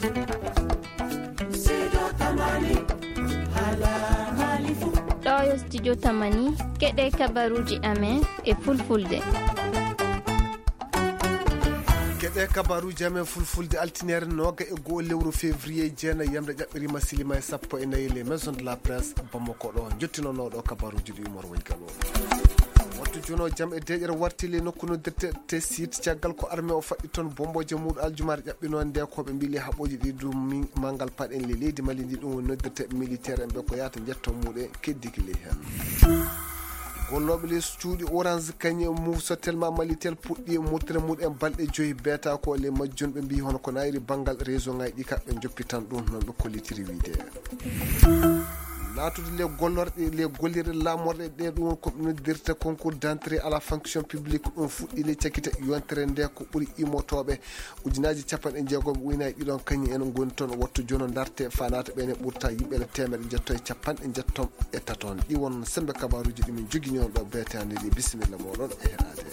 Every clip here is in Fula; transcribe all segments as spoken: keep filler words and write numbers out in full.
Ɗo yo studio Tamani, keɗe kabaruuji amen e fulfulde. Keɗe kabaruuji amen fulfulde, altineere nooga e go'o lewru février, jeenayi yamre ƴaɓɓiriima, silima e sappo e nayi, les maisons de la presse Bamako ɗo. Njottinooɗo kabaruuji ɗi Umar Waygal o. Wattu jono jam e deeƴere warti le nokku noddirte te site, caggal ko armée o faɗɗi toon bombooje muuɗum aljumaare ƴaɓɓinoo nde, ko ɓe mbii le haɓooji ɗi ɗum mi-, manngal paɗen le leydi Mali ndi, ɗum woni noddirte militaire en ɓe ko yahata njetto muuɗum keddiki le heen. Gollooɓe les cuuɗi Orange kañum e Moov Sotelma Malitel puɗɗi murtere muuɗum balɗe joyi beeta ko le majjum ɓe mbii hono ko nayri banngal réseau ngaji ɗi ka ɓe njoppitan ɗum noon ɓe kollitiri wiide. Naatude le gollorɗe, le gollirɗe laamorɗe ɗe ɗum ko noddirta concours d'entrée à la fonction publique ɗum fuɗɗi le cakkite yontere nde ko ɓuri imotooɓe ujunaaji capanɗe jeegom uynaji ɗiɗon kañum en ngoni toon wattu jono darte fanata ɓene ɓurta yimɓe le teemere jetto e capanɗe jetto e taton. Ɗi won sembe kabaruji ɗi min jogini on ɗo beetande ɗi. Bisimilla moɗon e heɗade.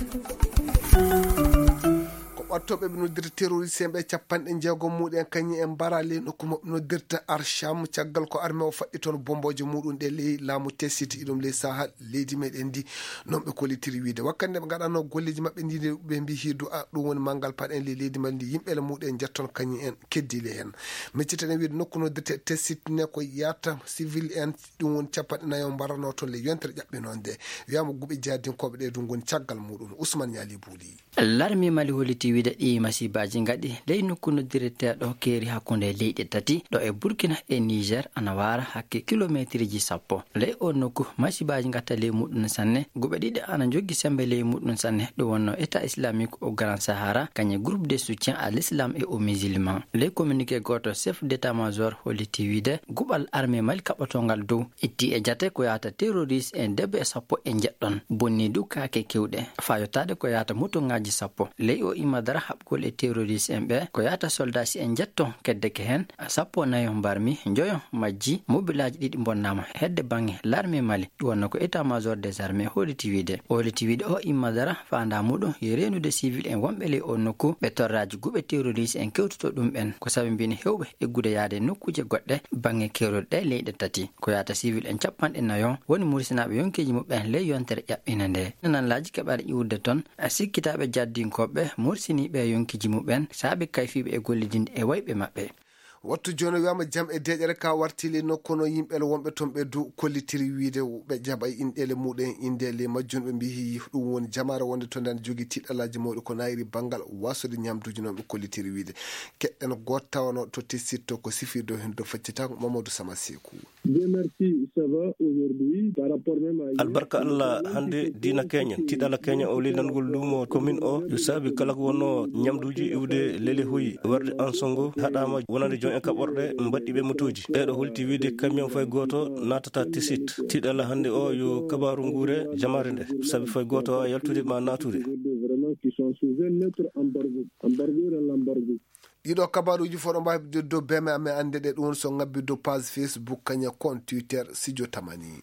Ko ɓattoɓe ɓe noddirta terroriste en ɓe capanɗe jeegom muɗen kañum en mbara ley nokku mo ɓe noddirta Arsham caggal ko armée o faɗɗi toon bomboje muɗum ɗe ley laamu tesiti ɗum ley Sahel leydi meɗen ndi. Noon ɓe kollitiri wiide wakkati nde ɓe ngaɗanno golleji maɓɓe ndi ɓe mbi hidu a ɗum woni manngal paɗen ley leydi Mali ndi yimɓe le muɗen jetton kañum en keddile heen. Miccitaɗen wiide nokku noddirte tesitine ko yahata civil en ɗum woni capanɗe nayo mbarano toon le yontere ƴaɓɓinoo nde. Wiyama guɓe jadinkoɓe ɗe ɗum ngoni caggal muɗum. Ousmane Ñali Buuli. Larmi Mali holliti wiide ɗi masibaji ngaɗi ley nokku noddireteɗo keeri hakkunde leyɗe tati ɗo e Burkina e Niger ana wara hakke kilometriji sappo. Ley o nokku masibaji ngatta ley muɗum sanne, guɓe ɗiɗi ana joggi sembe ley muɗum sanne, ɗum wonno État Islamique au Grand Sahara kañe groupe de soutien à l'islam et aux musulmans. Ley communiqué goto chef d'état-major holliti wiide guɓal armée Mali kaɓɓotongal dow itti e jate ko yahata terroriste en debbo e sappo e jeɗɗon bonni du kaake kewɗe. Fayotaade ko yahata moto ngaji sappo ley o imma dara haɓgol e terroriste en ɓe ko yahata soldat si en jetto keddeke heen sappo nayo mbarmi njoyo majji mobilaaji ɗiɗi mbonnaama hedde baŋŋe larme Mali. Ɗum wonno ko état major des armées holliti wiide holliti wiide o imma dara faandaa muɗum yo reenude civil en wonɓe ley o nokku ɓe torraaji guɓe terroriste en kewtuto ɗum ɓen ko sabi mbino hewɓe eggude yaade e nokkuuje goɗɗe baŋŋe keerol ɗe leyɗe tati ko yahata civil en capanɗe nayo woni murisinaaɓe yonkeeji muɓɓen ley yontere ƴaɓɓinde nde. Nanlaaji keɓaɗe iwrude toon a sikkitaaɓe jaddinkooɓe mursiniiɓe yonkeeji muɓɓen saabe kayfiiɓe e gollidinde e wayɓe maɓɓe. Wattu jooni wiyama jam e deeƴere ka wartili nokku no yimɓe le wonɓe toon ɓe du kollitiri wiide ɓe jaɓa inɗele muɗen inɗele majjum ɓe mbiyi ɗum woni jamaare wonde to nden jogi tiɗalaji mawɗi ko nayiri banngal wasode ñamduji noon ɓe kollitiri wiide keɗɗen goto tawano to tessitto ko sifirde o hen do faccita Mamadou Sama Seku. Dieu merci, ça va aujourd'hui par rapport même à hier. Albarka Allah hannde diina keñen tiɗala keñen o ley nanngol luumo commune o yo saabi kala ko wonno ñamduuji iwde lele hoyi warde ansongo haɗaama wonande joom en kaɓorɗe mbaɗɗi ɓe motooji ɓeeɗo holti wiide camion fay gooto naatata tesit. Tiɗala hannde o yo kabaaru nguure jamaare nde sabi fay gooto a yaltude ma naatude. Vraiment qui sont sous un autre embargo, embargo dans l'embargo. Ɗiɗo kabaruuji fof ɗo mbaawi dow beme amen annde ɗe ɗum so ngabbi dow page Facebook kañe compte Twitter Studio Tamani.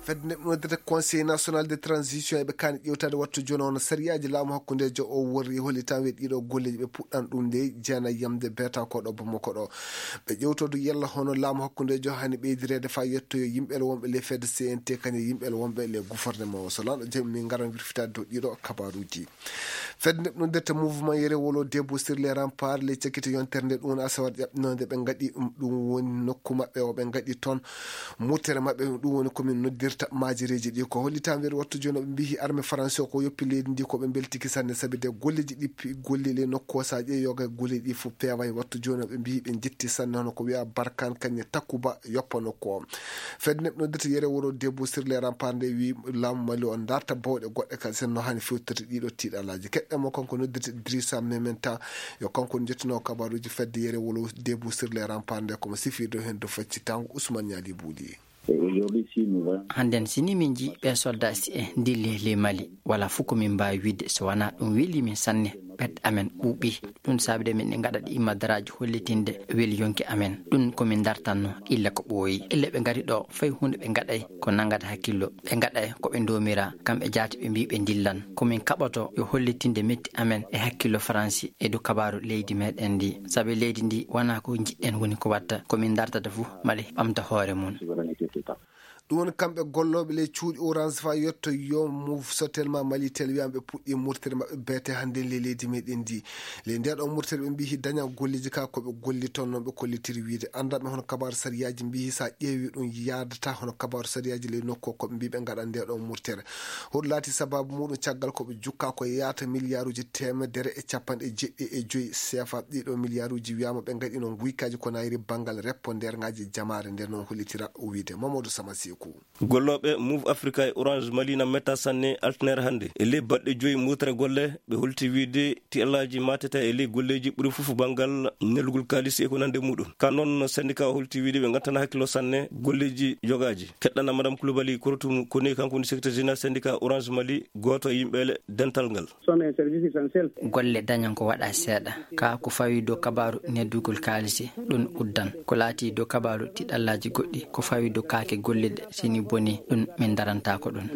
Fedde nde ɗum noddata Conseil National de Transition eɓe kaani ƴewtaade wattu jooni on sariyaaji laamu hakkundeejo o worri hollitan we ɗiɗo golleeji ɓe puɗɗan ɗum nde jeena yamde beeta ko ɗo Bamako ɗo. Ɓe ƴewtodu yalla hono laamu hakkundeejo hani ɓeydireede faa yettoyo yimɓe le wonɓe le fedde C N T kañe yimɓe le wonɓe le gouvernement o so lanɗo jami min ngaran wirfitaade dow ɗiɗo kabaruuji. Fedde nde ɗum ndetta mouvement yere wolo debout sur les remparts le cakkito yontere nde ɗum woni asawaɗ ƴaɓɓinode ɓe ngaɗi ɗum woni nokku maɓɓe o ɓe ngaɗi toon murtere maɓɓe ɗum woni komin noddirta majireji ɗi ko hollitan wiyde wattu jooni ɓe mbiyi armée français o ko yoppi leydi ndi ko ɓe mbeltiki sanne sabi de golleji ɗi pi- gollile nokku o sa ƴeewi yoga e golleji ɗi fof peeway wattu jooni ɓe mbiyi ɓe jetti sanne hono ko wiya barkan kañe takkuba yoppa nokku o. Fedde nde ɗum noddirta yere wuro debout sur les remparts nde wi laamu Mali o darta bawɗe goɗɗe kadi sen no hani fewtirde ɗiɗo tiiɗalaaji keɗɗe mo kanko noddirta Idrissa Mementa yo kanko jettuno kabaruuji fedde yere wuro debout sur les remparts nde komo sifirde heen dow faccitango Ousmane Ñaali Buuli. Hannden si ni min njii ɓee soldat si e ndilli ley Mali wala fof ko min mbaawi wiide so wanaa ɗum weli min sanne. Pet amen ɓuuɓi. Ɗum saabi de min ɗe ngaɗa ɗi immadaraaji hollitinde weli yonki amen. Ɗum ko min dartanno illa ko ɓooyi. Illa ɓe ngari ɗo, fay huunde ɓe ngaɗay ko nangata hakkillo. Ɓe ngaɗay ko ɓe ndomira, kamɓe jaati ɓe mbii ɓe ndillan. Ko min kaɓoto yo hollitinde metti amen e hakkillo Faransi e dow kabaaru leydi meɗen ndi. Sabi leydi ndi wonaa ko njiɗɗen woni ko watta, ko min dartata fof mala ɓamta hoore mum. Ɗum woni kamɓe gollooɓe ley cuuɗi Orange fa yetto yo Move Sotelma Malitel wiyaama ɓe puɗɗii murtere maɓɓe beete hannde ley leydi meɗen ndi. Ley ndee ɗoo murtere ɓe mbii daña golleeji ka ko ɓe golli toon noon ɓe kollitiri wiide. Anndanɓe hono kabaaru sariyaaji mbii so a ƴeewi ɗum yaadata hono kabaaru sariyaaji ley nokku o ko ɓe mbii ɓe ngaɗa ndee ɗoo murtere. Hoɗum laati sabaabu muɗum caggal ko ɓe jukka ko yaata miliyaaruuji teemedere e capanɗe jeɗɗi e joyi seefa. Ɗii ɗoo miliyaaruuji wiyaama ɓe ngaɗino nguykaaji ko nayri banngal reppo ndeerŋaaji jamaare nde noon hollitira wiide Mamadou Sama Seeku. Gollooɓe Move Africa e Orange Mali na metta sanne altine hannde. E ley balɗe joyi murtere golle, ɓe holti wiide tiɗallaaji matata e ley golleeji ɓuri fof banngal nelugol kaalisi e ko nande muɗum. Ka noon syndicat o holti wiide ɓe ngantana hakkillo sanne golleeji yogaaji. Keɗɗana Madame Koulibaly Korotum ko ni kanko woni secrétaire général syndicat Orange Mali, gooto e yimɓe dental ngal. Golle dañan ko waɗa seeɗa. Ka ko fawi dow kabaaru neddugol kaalisi, ɗum uddan. Ko laati dow kabaaru tiɗallaaji goɗɗi, ko fawi dow kaake golliɗe, sini boni, ɗum min darantaako ɗum.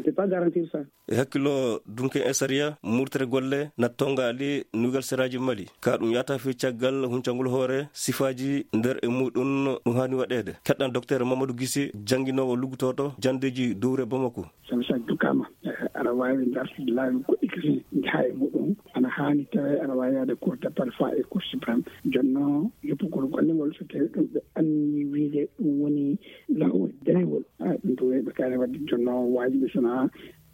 E hakkillo dunke e sariya, murtere golle na tongaali nugal seraaji Mali. Ka ɗum yata fi caggal huncangol hoore sifaaji nder e muɗum ɗum haani waɗeede. Keɗɗan Docteur Mamadou Gissé, jannginoowo luggotooɗo janndeeji dowre Bamako. Sabu so a jukkaama, eh, aɗa waawi dartude laawi goɗɗi kadi njaha e muɗum. Ana haani tawe aɗa waawi yaade Cour d'appel faa e Cour suprême. Jonno yoppugol golle ngol so tawi ɗum ɓe anni wiide ɗum woni laawol danewol. Ah, ɗum to wiyɓe kaane wadde jonno waajibi sona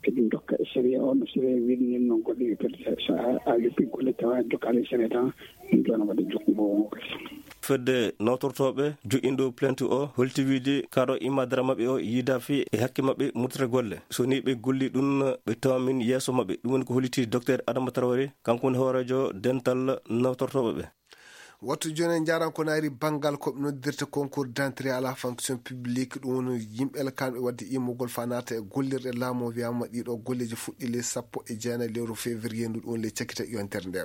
eɗum dokka e sariya o no sariya wiɗni noon goɗɗo yoppirde. So a, a yoppi golle tawa jokkaali e sariya tan, ɗum ɗo no waɗa jokkugo wongo kadi. Fedde nawtortooɓe joƴƴinɗo plainte o holti wiide kaɗo imma dara maɓɓe o yiida fi e hakke maɓɓe murtere golle. So ni ɓe golli ɗum ɓe tawa min yeeso maɓɓe. Ɗum woni ko holliti Docteur Adama Traoré, kanko woni hooreejo dental nawtortooɓe ɓe. Wattu jooni en njaaran ko naari banngal ko ɓe noddirta concours d'entrée à la fonction publique. Ɗum woni yimɓe alkanɓe waɗde immugol faa naata e gollirɗe laamu o. Wiyaama ɗiɗo golleeji fuɗɗi ley sappo e jeenayi lewru février ndu, ɗum woni ley cakkita yontere nde.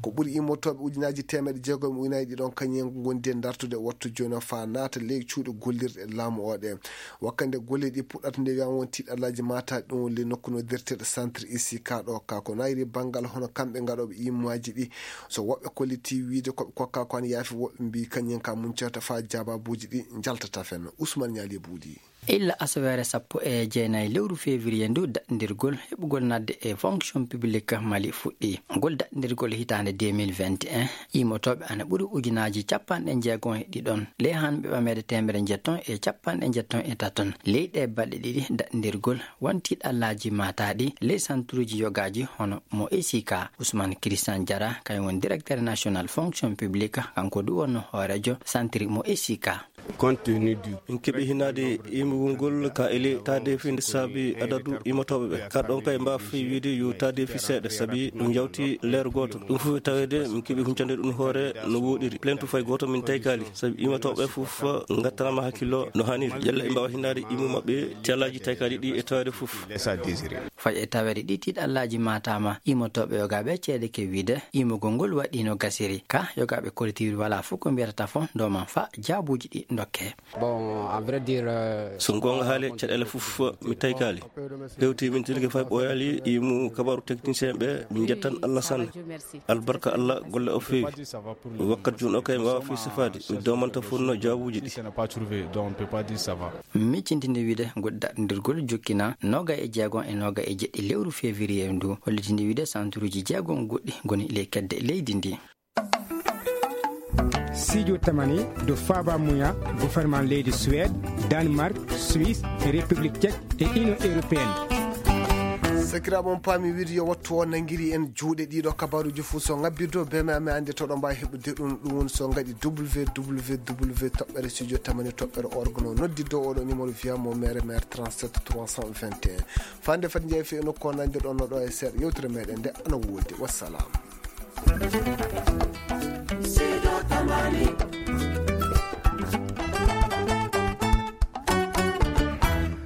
Ko ɓuri immotooɓe ujunaaji teemeɗe jeegom e ujunaaji ɗiɗon kañum en ngondi e dartude wattu jooni o faa naata ley cuuɗi gollirɗe laamu o ɗe. Wakkati nde golle ɗi puɗɗata nde wiyaama won tiɗallaaji maataaɗi ɗum woni ley nokku noddirteeɗo centre I C K ɗo ka ko naayri banngal hono kamɓe ngaɗooɓe immaaji ɗi. So woɓɓe kolliti wiide ko ɓe kokka ko an yaafi, woɓɓe mbii kañum ka muncata faa jaababuuji ɗi njaltata fenna. Ousmane Ñaali Buudi. Illa asaweere sappo e jeenayi lewru février ndu daɗndirgol heɓugol nadde e fonction publique Mali fuɗɗi. Ngol daɗndirgol hitaande deux mille vingt et un, immotooɓe ana ɓuri ujunaaji capanɗe jeegom e ɗiɗon, ley hanɓe ɓameede teemedere njetton e capanɗe njetton e taton. Ley ɗee balɗe ɗiɗi daɗndirgol won tiɗallaaji maataaɗi ley santuruuji yogaaji hono mo E C K. Ousmane Christian Diarra, kañum woni directeur national fonction publique, kanko du wonno hooreejo santiri mo E C K. Compte tenu du. Min keɓi hinaade immugol ngol ka ele taadeefi nde saabi adadu immotooɓe ɓe. Ka ɗon kay mbaafi wiide yo taadeefi seeɗa sabi ɗum yawti leer gooto. Ɗum fof e taweede min keɓi huncande ɗum hoore no woɗiri. Plainte fay gooto min taykaali sabi immotooɓe fof ngattanaama hakkillo no haaniri. Yalla ɓe mbaawa hinaade immu maɓɓe tiɗallaaji taykaali ɗi e taweede fof. Fay e taweede ɗi tiɗallaaji maataama immotooɓe yogaaɓe ceede ke wiide immugol ngol waɗi no gasiri. Ka yogaaɓe kollitiiwri walaa fof ko mbiyata fof ndoman fa jaabuuji ɗi ndokke. Bon, en vrai dire, euh, so goonga haale, caɗeele fof mi taykaali. Hewti min tilke fay ɓooyaali, yimu kabaru technicien ɓe, min njettan Allah sanne. Albarka Allah, golle o feewi. Wakkat jun o kay mi waawa fii sifaade, mi domanta fof no jaabuuji ɗi. Miccintinde wiide ngol daɗndirgol jokkina noga e jeegom e noga e jeɗɗi lewru février ndu, hollitinde wiide santuruuji jeegom goɗɗi ngoni ley kedde leydi ndi. Sijo tamani do faaba muya gouvernement leydi Suède, Danemark, Suisse, République Tchèque et Union Européenne. Sakiraaɓe, on paami wiide yo wattu o nangiri en juuɗe ɗiɗo kabaruuji fof so ngabbirdo be me ame ande to ɗo mbaawi heɓude ɗum. Ɗum woni so ngaɗi W W W toɓɓere studio tamani toɓɓere org no noddi dow oɗo numéro via mo mere mere trente-sept trois cent vingt et un. Fande fati njeefi e nokku o nande ɗon no ɗo e seeɗa yewtere meɗen nde ana woodi. Wassalam.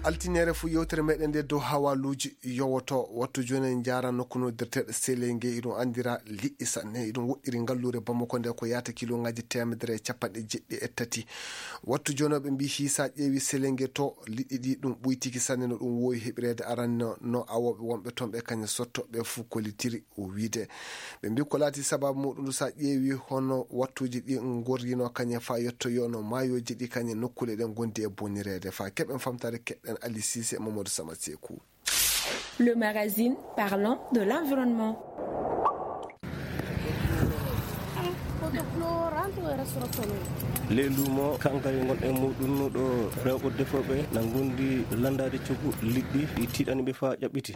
Altineere fuu yewtere meɗen nde dow hawaluuji yowoto. Wattu jooni en njaara nokku noddirteeɗo Selenge, iɗum anndira liɗɗi sanne. Iɗum woɗɗiri ngalluure Bamako nde ko yaata kilongaaji teemedere e capanɗe jeɗɗi e tati. Wattu jooni o ɓe mbii hii sa ƴeewi Selenge to liɗɗi ɗi ɗum ɓuytiki sanne no ɗum woowi heɓireede aranno no awooɓe wonɓe toon ɓe kañe sotto ɓe fuu kollitiri. O wiide ɓe mbi ko laati sababu muɗum sa ƴeewi hono wattuuji ɗi ngorrino kañe faa yettoyono maayooji ɗi kañe nokkuule ɗen ngondi e bonireede. Faa keɓen famtaare keɗɗen Ali Sise e Mamadou Sama Seku. Le magazine parlant de l'environnement. Ley luumo kankari ngonɗen muɗum ɗo rewɓe defooɓe na ngondi lanndaade coggu liɗɗi ɗi tiiɗani ɓe faa ƴaɓɓiti.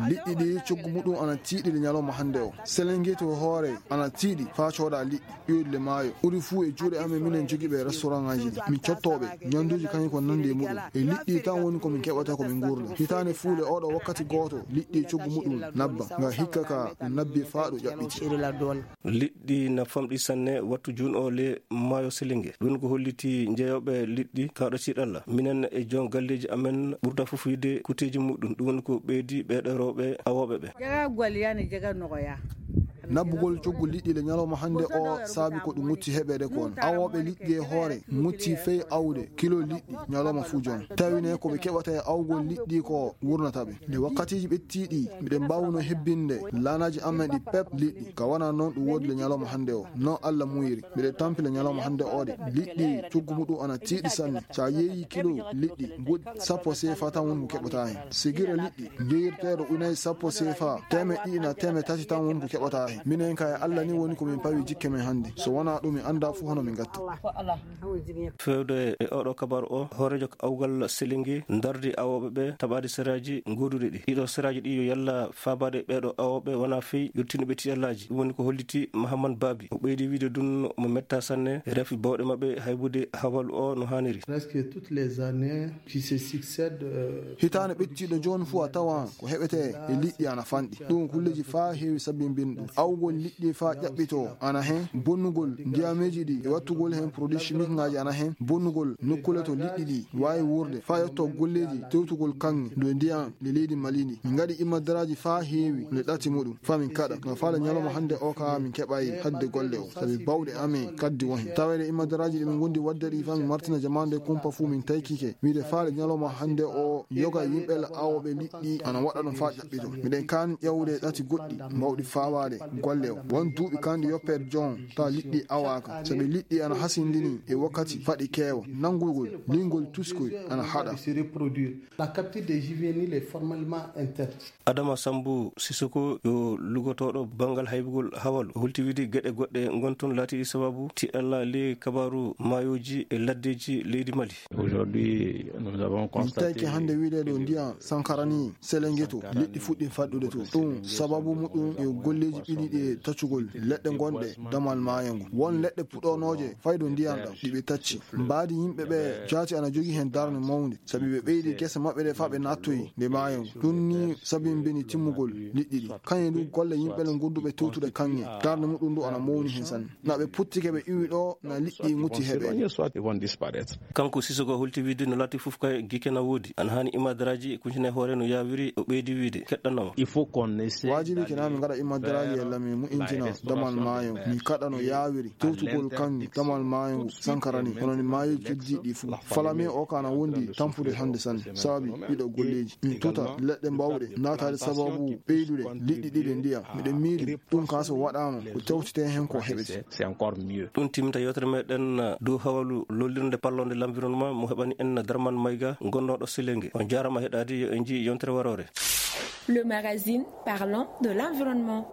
Liɗɗi ɗi coggu muɗum ana tiiɗi le ñalawma hannde o. Selengeto hoore ana tiiɗi faa cooda liɗɗi ƴoyɗi le maayo. Ɓuri fuu e juuɗe amen minen jogiiɓe restaurantaaji ɗi. Min cottooɓe ñannduuji kañum ko nanndi e muɗum. E liɗɗi tan woni ko min keɓata ko min nguurda. Hitaande fuu le oɗo wakkati gooto liɗɗi coggu muɗum nabba. Nga hikka ka ɗum nabbi faa ɗum ƴaɓɓiti. Liɗɗi na famɗi sanne wattu juun o le maayo Selinge. Ɗum ko holliti njeeyooɓe liɗɗi kaaɗo tiiɗalla. Minen e joom galleeji amen ɓurda fof yiide kuteeji muɗum. Ɗum woni ko ɓeydi ɓeeɗo rewɓe awooɓe ɓe. Jaga gwal yani jaga nogoya. Nabbugol coggu liɗɗi le ñalawma hannde o saabi ko ɗum mutti heɓeede kon. Awooɓe liɗɗi e hoore mutti fey awde kilo liɗɗi ñalawma fuu joon. Tawi ne ko ɓe keɓata e awgol liɗɗi ko wurnata ɓe. Nde wakkatiiji ɓettiiɗi, miɗen mbaawno hebbinde laanaaji amen ɗi pep liɗɗi. Ka wona noon ɗum woodi le ñalawma hannde o. Noon Alla muuyiri. Miɗen tampi le ñalawma hannde o de. Liɗɗi coggu muɗum ana tiiɗi sanne. So a yeeyi kilo liɗɗi, ngoɗi sappo seefa tan woni ko keɓata heen. Sigira liɗɗi, njeyirteeɗo unayi sappo seefa, teemeɗɗe ɗiɗi na teemeɗɗe tati tan woni ko keɓata heen. Minen ka e Alla ni woni ko min pawi jikke men hannde. So wonaa ɗum, mi anndaa fuu hono min ngatta. Feewde e oɗo kabar o, hooreejo awgal Selinge ndardi awooɓe ɓe taɓaade seraaji gooduɗi ɗi. Ɗiɗo seraaji ɗi yo yalla faabaade ɓeeɗo awooɓe wonaa fey yottinooɓe tiiɗallaaji. Ɗum woni ko holliti Mahamman Baabi. O ɓeydi wiide ɗum mo metta sanne, rafi bawɗe maɓɓe haybude hawalu o no haaniri. Presque toutes les années qui se succèdent, euh, hitaande ɓettiiɗo jooni fuu a tawa ko heɓetee e liɗɗi ana fanɗi. Ɗum kulleeji faa heewi sabbinbin ɗum. Awgol liɗɗi faa ƴaɓɓitoo ana heen, bonnugol ndiyameeji ɗi e wattugol heen produit chimique ngaaji ana heen, bonnugol nokkuule to liɗɗi ɗi waawi wuurde, faa yetto golleeji tewtugol kaŋŋe nde ndiyam le leydi Mali ndi. Min ngaɗi imadaraaji faa heewi nde ɗati muɗum, faa min kaɗa. No faale ñalawma hannde o ka min keɓaay hadde golle o, sabi bawɗe amen kaddi won heen. Taweede imadaraaji ɗi min ngondi waɗde ɗi faa min martina jamaande kumpa fuu min taykike. Wiide faale ñalawma hannde o yoga yimɓe awooɓe liɗɗi ana waɗa ɗum faa ɓito. Miɗen kaan ƴawde ɗati goɗɗi mbawɗi faawaade golle o. Won duuɓi kaan ɗi yoppeede joon tawa liɗɗi awaaka. Sabi liɗɗi ana hasindini e wakkati faɗi keewa. Nanngugol, liingol tuskoy ana haɗa. La capture des juvéniles est formellement interdite. Adama Sambu Sisoko yo lugotooɗo banngal haybugol hawalu. O hulti wiide geɗe goɗɗe ngon toon laatiiɗi sababu tiiɗalla ley kabaaru maayooji e laddeeji leydi Mali. Aujourd'hui, nous avons constaté. Min tawike hannde wiide ɗo ndiyam Sankara ni Selengeto, liɗɗi fuɗɗi faɗɗude to. Ɗum sababu muɗum e golleeji ɓili ɗi e taccugol leɗɗe gonɗe damal maayo ngu. Won leɗɗe puɗonooje faydo ndiyam ɗam ɗi ɓe tacci. Mbaadi yimɓe ɓe jaati ana jogii heen darnde mawnde, sabi ɓe ɓeydi gese maɓɓe ɗe faa ɓe naattoyi nde maayo ngu. Ɗum ni sabi mbeni timmugol liɗɗi ɗi. Kañum du golle yimɓe le gonduɓe tewtude kaŋŋe. Darnde muɗum du ana mawni heen sanne. Na ɓe puttike ɓe iwi ɗo na liɗɗi mutti heɓeede. Kanko Sisoko holti wiide no laati fof kay gike na woodi. Ana haani imadaraaji e kuncina e hoore no yaawiri o ɓeydi wiide keɗɗanoma. Il faut qu'on essaie. Waajibi kina min ngaɗa imadaraaji e lami mu injina damal maayo. Mi kaɗa no yaawiri tewtugol kaŋŋe damal maayo ngu Sankara ni. Hono ni maayo keddiiɗi fof. Falame o ka na wondi tampude hannde sanne. Sabi ɗiɗo golleeji. Min tuta leɗɗe mbawɗe naataade sababu ɓeydude liɗɗi ɗiɗi ndiyam. Miɗen miili ɗum ka so waɗaama ko tewtete heen ko heɓete. C'est encore mieux. Ɗum timminta yewtere meɗen dow hawalu lollirde parlonde l'environnement mo heɓani en Darman Mayga gonnooɗo Selenge. On jaarama heɗaade yo en njii yontere waroore. Le magazine parlant de l'environnement.